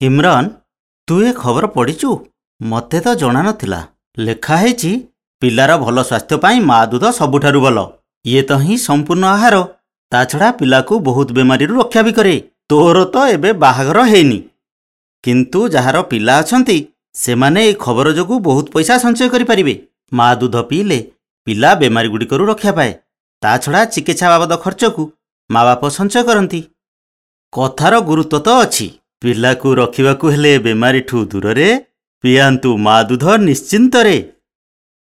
ଇମ୍ରାନ, ତୁ ଏ ଖବର ପଢ଼ିଛୁ? ମୋତେ ତ ଜଣା ନଥିଲା। ଲେଖା ହେଇଛି, ପିଲାର ଭଲ ସ୍ୱାସ୍ଥ୍ୟ ପାଇଁ ମା ଦୁଧ ସବୁଠାରୁ ଭଲ। ଇଏ ତ ହିଁ ସମ୍ପୂର୍ଣ୍ଣ ଆହାର। ତା ଛଡ଼ା ପିଲାକୁ ବହୁତ ବେମାରୀରୁ ରକ୍ଷା ବି କରେ। ତୋର ତ ଏବେ ବାହାଘର ହେଇନି, କିନ୍ତୁ ଯାହାର ପିଲା ଅଛନ୍ତି ସେମାନେ ଏଇ ଖବର ଯୋଗୁଁ ବହୁତ ପଇସା ସଞ୍ଚୟ କରିପାରିବେ। ମା ଦୁଧ ପିଇଲେ ପିଲା ବେମାରୀଗୁଡ଼ିକରୁ ରକ୍ଷା ପାଏ। ତା ଛଡ଼ା ଚିକିତ୍ସା ବାବଦ ଖର୍ଚ୍ଚକୁ ମା ବାପ ସଞ୍ଚୟ କରନ୍ତି। କଥାର ଗୁରୁତ୍ୱ ତ ଅଛି। ପିଲାକୁ ରଖିବାକୁ ହେଲେ ବେମାରୀଠୁ ଦୂରରେ, ପିଆନ୍ତୁ ମା ଦୁଧ ନିଶ୍ଚିନ୍ତରେ।